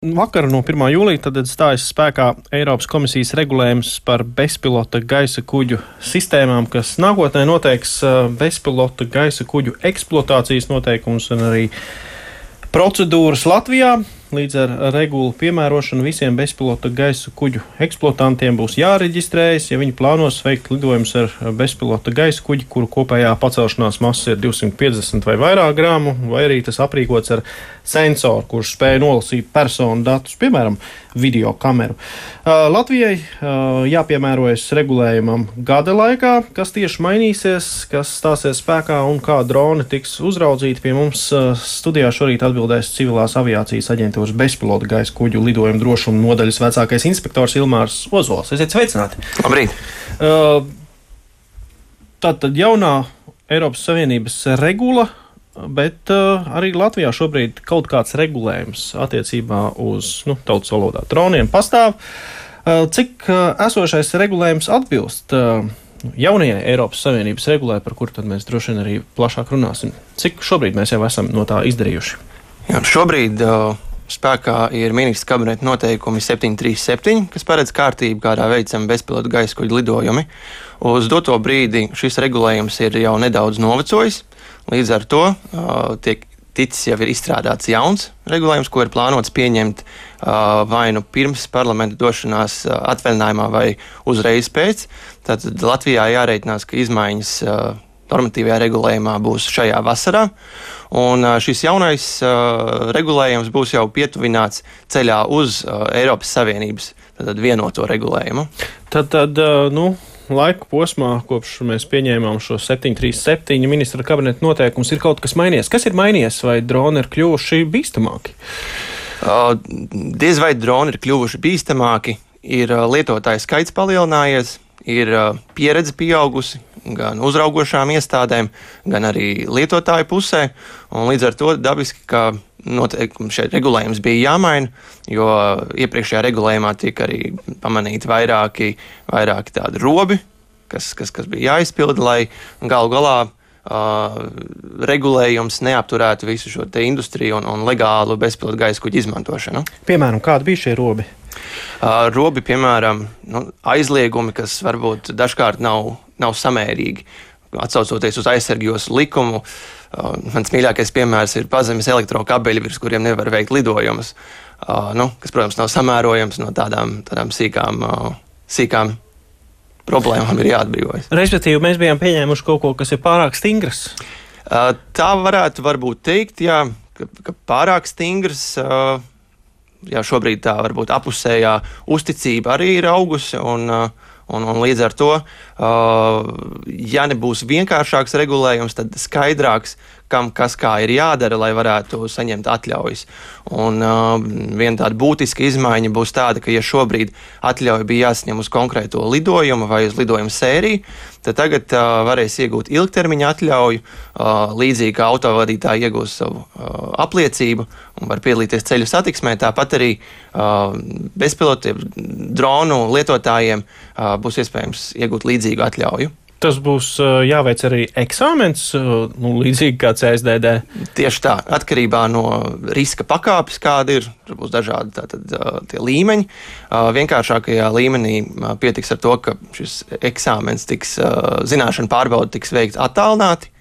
Vakar no 1. jūlija tad stājas spēkā Eiropas komisijas regulējums par bezpilota gaisa kuģu sistēmām, kas nākotnē noteiks bezpilota gaisa kuģu eksploatācijas noteikumus un arī procedūras Latvijā. Līdz ar regulu piemērošanu visiem bezpilota gaisa kuģu eksploatantiem būs jāreģistrējas, ja viņi plānos veikt lidojumus ar bezpilota gaisa kuģi, kuru kopējā pacelšanās masa ir 250 vai vairāk grāmu, vai arī tas aprīkots ar sensoru, kurš spēj nolasīt personu datus, piemēram, video kameru. Latvijai jāpiemērojas regulējumam gada laikā, kas tieši mainīsies, kas stāsies spēkā un kā droni tiks uzraudzīti. Pie mums studijā šorīt atbildēs Civilās aviācijas aģentūras bezpilota gaisa kuģu lidojumu drošuma nodaļas vecākais inspektors Ilmārs Ozols. Esiet sveicināti! Labrīt! Tātad jaunā Eiropas Savienības regula, bet arī Latvijā šobrīd kaut kāds regulējums attiecībā uz tautas valodā droniem pastāv. Cik esošais regulējums atbilst jaunajai Eiropas Savienības regulē, par kuru tad mēs droši vien arī plašāk runāsim? Cik šobrīd mēs jau esam no tā izdarījuši? Jā, šobrīd spēkā ir ministra kabineta noteikumi 737, kas paredz kārtību, kādā veicam bezpilota gaisa kuģu lidojumi. Uz doto brīdi šis regulējums ir jau nedaudz novecojis, līdz ar to jau ir izstrādāts jauns regulējums, ko ir plānots pieņemt vai nu pirms parlamenta došanās atvaļinājumā vai uzreiz pēc. Tātad Latvijā jārēķinās, ka izmaiņas normatīvajā regulējumā būs šajā vasarā, un šis jaunais regulējums būs jau pietuvināts ceļā uz Eiropas Savienības vienoto regulējumu. Tad laika posmā, kopš mēs pieņēmām šo 737 ministra kabineta noteikumus, ir kaut kas mainījies. Kas ir mainījies, vai droni ir kļuvuši bīstamāki? Diez vai droni ir kļuvuši bīstamāki, ir lietotāju skaits palielinājies, ir pieredze pieaugusi gan uzraugošām iestādēm, gan arī lietotāju pusē, un līdz ar to dabiski, ka noteikumi šeit regulējums bija jāmaina, jo iepriekšējā regulējumā tika arī pamanīti vairāki tādi robi, kas bija jāizpilda, lai galu galā regulējums neapturētu visu šo te industriju un legālu bezpilota gaisa kuģu izmantošanu. Piemēram, kādi bija šie robi? Robi, piemēram, aizliegumi, kas varbūt dažkārt nav samērīgi. Atsaucoties uz aizsargjos likumu, mans mīļākais piemērs ir pazemes elektrokabeļi, virs kuriem nevar veikt lidojumus, kas, protams, nav samērojams, no tādām sīkām problēmām ir jāatbrīvojas. Respektīvi, mēs bijām pieņēmuši kaut ko, kas ir pārāk stingrs? Tā varētu varbūt teikt, jā, ka pārāk stingrs. Jā, šobrīd tā varbūt apusējā uzticība arī ir augusi, un līdz ar to, ja nebūs vienkāršāks regulējums, tad skaidrāks, kam kas kā ir jādara, lai varētu saņemt atļaujas. Un viena tāda būtiska izmaiņa būs tāda, ka ja šobrīd atļauja bija jāsaņem uz konkrēto lidojumu vai uz lidojuma sēriju, tad tagad varēs iegūt ilgtermiņa atļauju, līdzīgi kā autovadītāji iegūs savu apliecību un var piedalīties ceļu satiksmē. Tāpat arī bezpilota dronu lietotājiem būs iespējams iegūt līdzīgu atļauju. Tas būs jāveic arī eksāmens, līdzīgi kā CSDD? Tieši tā, atkarībā no riska pakāpes, kāda ir, tur būs dažādi tie līmeņi. Vienkāršākajā līmenī pietiks ar to, ka šis eksāmens zināšana pārbaude tiks veikts attālināti.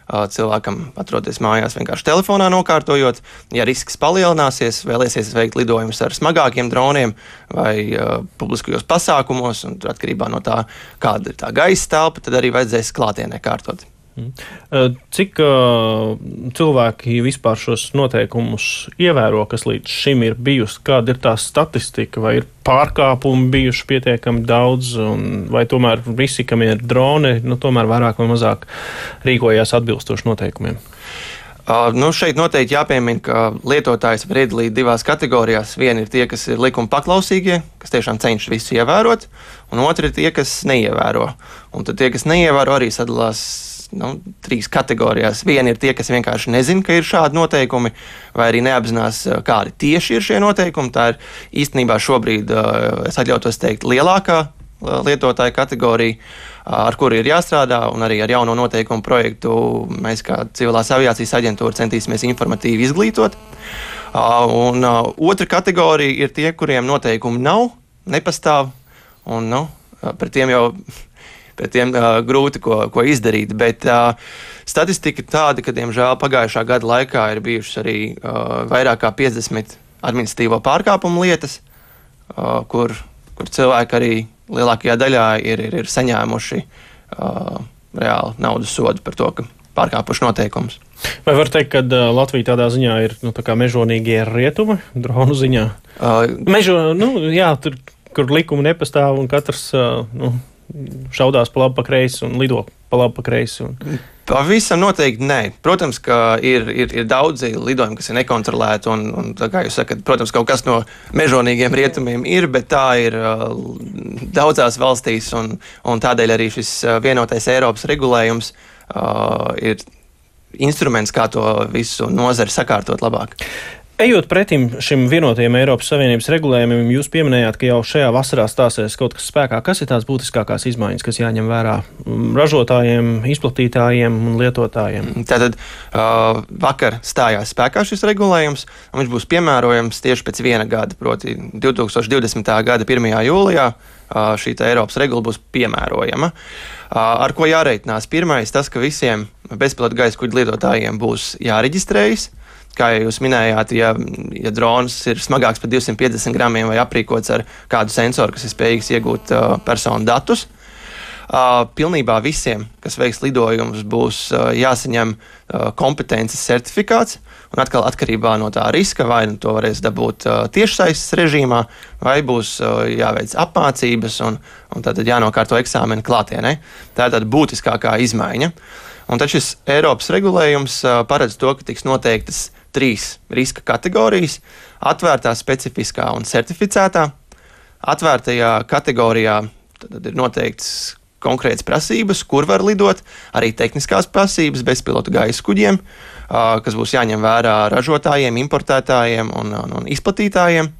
Cilvēkam atroties mājās vienkārši telefonā nokārtojot. Ja risks palielināsies, vēlēsies veikt lidojumus ar smagākiem droniem vai publiskajos pasākumos, un atkarībā no tā, kāda ir tā gaisa telpa, tad arī vajadzēs klātienē kārtot. Cik cilvēki vispār šos noteikumus ievēro, kas līdz šim ir bijusi? Kāda ir tā statistika? Vai ir pārkāpumi bijuši pietiekami daudz, vai tomēr visi, kam ir droni, tomēr vairāk vai mazāk rīkojās atbilstoši noteikumiem? Šeit noteikti jāpiemina, ka lietotājs var iedalīt divās kategorijās. Viena ir tie, kas ir likuma paklausīgie, kas tiešām cenšas visu ievērot, un otra ir tie, kas neievēro. Un tad tie, kas neievēro, arī sadalās trīs kategorijās. Viena ir tie, kas vienkārši nezina, ka ir šādi noteikumi, vai arī neapzinās, kādi tieši ir šie noteikumi. Tā ir īstenībā šobrīd, es atļautos teikt, lielākā lietotāju kategorija, ar kuru ir jāstrādā, un arī ar jauno noteikumu projektu mēs kā Civilās aviācijas aģentūra centīsimies informatīvi izglītot. Otra kategorija ir tie, kuriem noteikumi nepastāv, un pret tiem grūti ko izdarīt. Bet statistika ir tāda, ka, diemžēl, pagājušā gada laikā ir bijušas arī vairāk kā 50 administratīvo pārkāpumu lietas, kur cilvēki arī lielākajā daļā ir saņēmuši reāli naudas sodu par to, ka pārkāpuši noteikumus. Vai var teikt, ka Latvija tādā ziņā ir tā kā mežonīgie rietumi dronu ziņā? Tur, kur likumi nepastāv un katrs šaudās pa labi pa kreisi un lido pa labi pa kreisi. Pavisam noteikti nē. Protams, ka ir daudzi lidojumi, kas ir nekontrolēti, un tā kā jūs sakat, protams, kaut kas no mežonīgiem rietumiem ir, bet tā ir daudzās valstīs, un tādēļ arī šis vienotais Eiropas regulējums ir instruments, kā to visu nozari sakārtot labāk. Ejot pretim šim vienotajam Eiropas Savienības regulējumam, jūs pieminējāt, ka jau šajā vasarā stāsies kaut kas spēkā. Kas ir tās būtiskākās izmaiņas, kas jāņem vērā ražotājiem, izplatītājiem un lietotājiem? Tātad vakar stājās spēkā šis regulējums, un viņš būs piemērojams tieši pēc viena gada, proti 2020. gada 1. jūlijā šī Eiropas regula būs piemērojama. Ar ko jāreitinās? Pirmais, tas, ka visiem bezpilota gaisa kuģu lietotājiem būs jāreģistrējas. Kā jūs minējāt, ja drons ir smagāks par 250 gramiem vai aprīkots ar kādu sensoru, kas ir spējīgs iegūt personu datus, pilnībā visiem, kas veiks lidojumus, būs jāsaņem kompetences certifikāts. Un atkal atkarībā no tā riska, vai to varēs dabūt tiešsaistes režīmā, vai būs jāveic apmācības un tad jānokārto eksāmeni klātienē. Tā ir tāda būtiskākā izmaiņa. Un tad šis Eiropas regulējums paredz to, ka tiks noteiktas 3 riska kategorijas - atvērtā, specifiskā un certificētā. Atvērtajā kategorijā tad ir noteikts konkrētas prasības, kur var lidot, arī tehniskās prasības bezpilota gaisa kuģiem, kas būs jāņem vērā ražotājiem, importētājiem un izplatītājiem.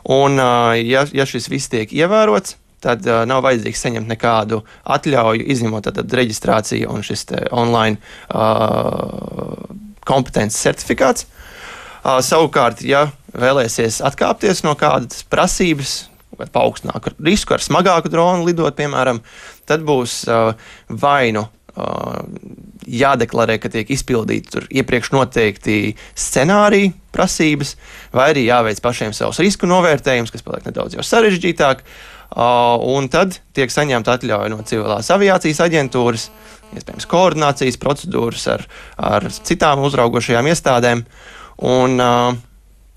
Un, ja šis viss tiek ievērots, tad nav vajadzīgs saņemt nekādu atļauju, izņemot reģistrāciju un šis online kompetences certifikāts. Savukārt, ja vēlēsies atkāpties no kādas prasības, paaugstināt risku ar smagāku dronu lidot, piemēram, tad būs vai nu jādeklarē, ka tiek izpildīti iepriekš noteikti scenāriji prasības, vai arī jāveic pašiem savus risku novērtējumus, kas paliek nedaudz jau sarežģītāk, un tad tiek saņemta atļauja no civilās aviācijas aģentūras, iespējams koordinācijas procedūras ar citām uzraugošajām iestādēm. Un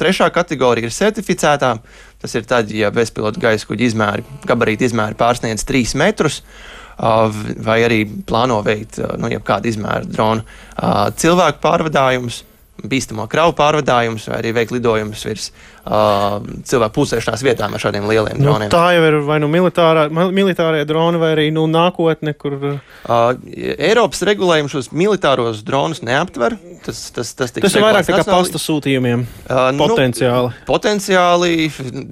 trešā kategorija ir certificētā. Tas ir tad, ja bezpilota gaisa kuģa gabarīta izmēri pārsniedz 3 metrus, vai arī plāno veikt jebkādu izmēru dronu cilvēku pārvadājumus, bīstamo kravu pārvadājumus, vai arī veikt lidojumus virs cilvēku pulsēšanās vietām ar šādiem lieliem droniem. Tā jau ir vai nu militārie droni, vai arī nākotne, kur... Eiropas regulējums šos militāros dronus neaptver. Tas ir vairāk tā kā pasta sūtījumiem potenciāli. Potenciāli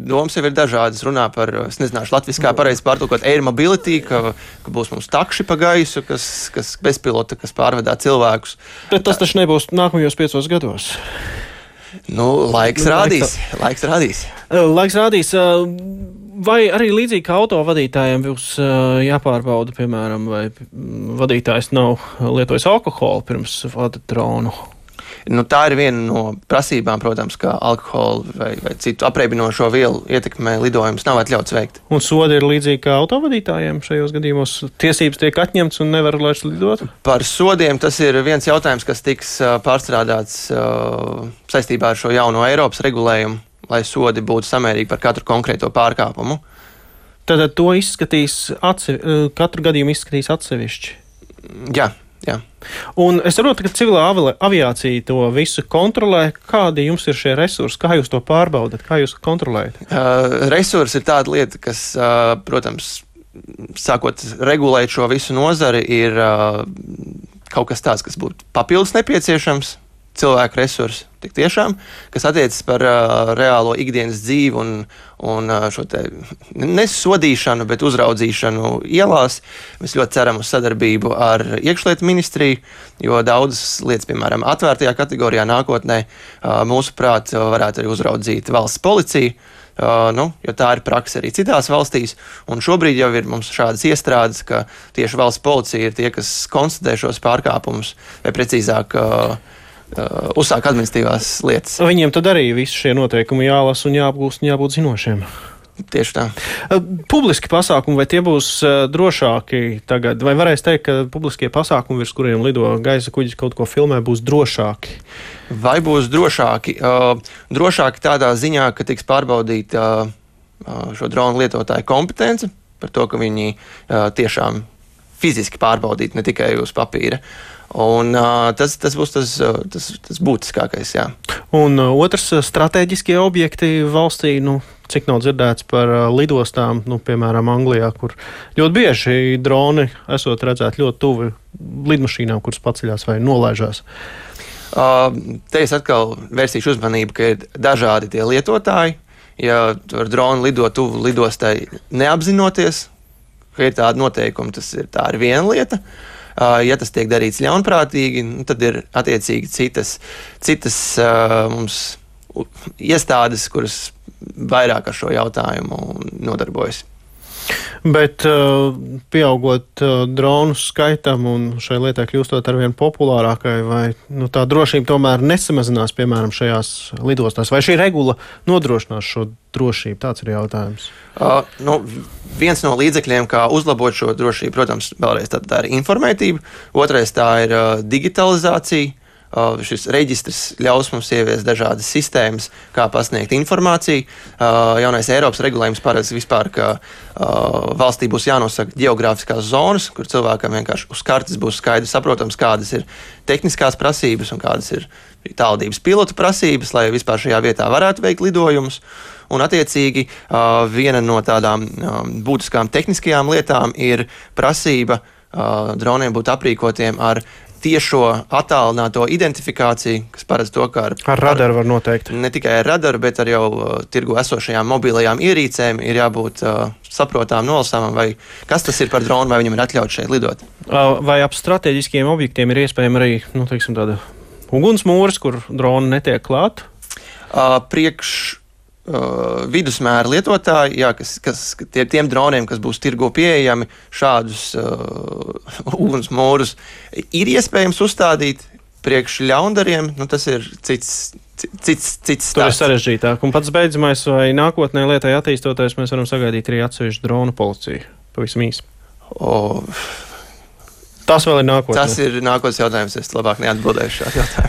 domas jau ir dažādas. Runā par, es nezināšu, latviski kā pareizi pārtulkot air mobility, ka būs mums takši pa gaisu, kas bezpilota, kas pārvadā cilvēkus. Bet tas taču nebūs nākamajos 5 gados. Laiks rādīs. Laiks rādīs. Vai arī līdzīgi kā autovadītājiem būs jāpārbauda, piemēram, vai vadītājs nav lietojis alkoholu pirms vada dronu? Tā ir viena no prasībām, protams, ka alkohola vai citu apreibinošo vielu ietekmē lidojumus nav atļauts veikt. Un sodi ir līdzīgi kā autovadītājiem šajos gadījumos? Tiesības tiek atņemts un nevar vairs lidot? Par sodiem tas ir viens jautājums, kas tiks pārstrādāts saistībā ar šo jauno Eiropas regulējumu, lai sodi būtu samērīgi par katru konkrēto pārkāpumu. Tad to izskatīs katru gadījumu izskatīs atsevišķi? Jā. Un es saprotu, ka civilā aviācija to visu kontrolē. Kādi jums ir šie resursi? Kā jūs to pārbaudat? Kā jūs kontrolējat? Resursi ir tāda lieta, kas, protams, sākot regulēt šo visu nozari, ir kaut kas tāds, kas būtu papildus nepieciešams. Cilvēku resursi, tik tiešām, kas attiecas par reālo ikdienas dzīvi un šo te nesodīšanu, bet uzraudzīšanu ielās. Mēs ļoti ceram uz sadarbību ar iekšlietu ministriju, jo daudzas lietas, piemēram, atvērtajā kategorijā nākotnē, mūsuprāt, varētu arī uzraudzīt valsts policija. Jo tā ir praksa arī citās valstīs, un šobrīd jau ir mums šādas iestrādes, ka tieši valsts policija ir tie, kas konstatē šos pārkāpumus, vai precīzāk uzsāk administratīvās lietas. Viņiem tad arī visi šie noteikumi jālasa un jāapgūst un jābūt zinošiem. Tieši tā. Publiski pasākumi, vai tie būs drošāki tagad? Vai varēs teikt, ka publiskie pasākumi, virs kuriem lido gaisa kuģis, kaut ko filmē, būs drošāki? Vai būs drošāki? Drošāki tādā ziņā, ka tiks pārbaudīta šo dronu lietotāju kompetence par to, ka viņi tiešām fiziski pārbaudīti, ne tikai uz papīra. Un tas būs tas būtiskākais, jā. Un otrs strateģiskie objekti valstī, cik nav dzirdēts par lidostām, piemēram, Anglijā, kur ļoti bieži droni esot redzēti ļoti tuvi lidmašīnām, kuras paceļās vai nolaižās. Te es atkal vērsīšu uzmanību, ka ir dažādi tie lietotāji. Ja ar dronu lido tuvu lidostai neapzinoties, ka ir tāda noteikuma, tā ir viena lieta. Ja tas tiek darīts ļaunprātīgi, tad ir attiecīgi citas mums iestādes, kuras vairāk ar šo jautājumu nodarbojas. Bet pieaugot dronu skaitam un šai lietai kļūstot arvien populārākai, vai tā drošība tomēr nesamazinās, piemēram, šajās lidostās? Vai šī regula nodrošinās šo drošību? Tāds ir jautājums. Viens no līdzekļiem, kā uzlabot šo drošību, protams, vēlreiz tā ir informētība, otrais tā ir digitalizācija. Šis reģistrs ļaus mums ieviest dažādas sistēmas, kā pasniegt informāciju. Jaunais Eiropas regulējums paredz vispār, ka valstī būs jānosaka geogrāfiskās zonas, kur cilvēkam vienkārši uz kartes būs skaidrs saprotams, kādas ir tehniskās prasības un kādas ir tālvadības pilotu prasības, lai vispār šajā vietā varētu veikt lidojumus. Un, attiecīgi, viena no tādām būtiskām tehniskajām lietām ir prasība droniem būt aprīkotiem ar tiešo attālināto identifikāciju, kas paredz to, ka ar radaru var noteikt. Ne tikai ar radaru, bet ar jau tirgu esošajām mobilajām ierīcēm ir jābūt saprotām, nolasāmam, vai kas tas ir par dronu, vai viņam ir atļauts šeit lidot. Vai ap strateģiskiem objektiem ir iespējama arī, tāda ugunsmūris, kur droni netiek klāt? Priekš vidusmēra lietotāji, kas tiem droniem, kas būs tirgo pieejami, šādus ugunsmūrus ir iespējams uzstādīt. Priekš ļaundariem, tas ir cits stāsts. Tur ir sarežģītāk. Un pats beidzamais, vai nākotnē lietai attīstoties, mēs varam sagaidīt arī atsevišķu dronu policiju? Pavisam īsi. Tas vēl ir nākotnē. Tas ir nākotnes jautājums. Es labāk neatbildēšu šādu jautājumu.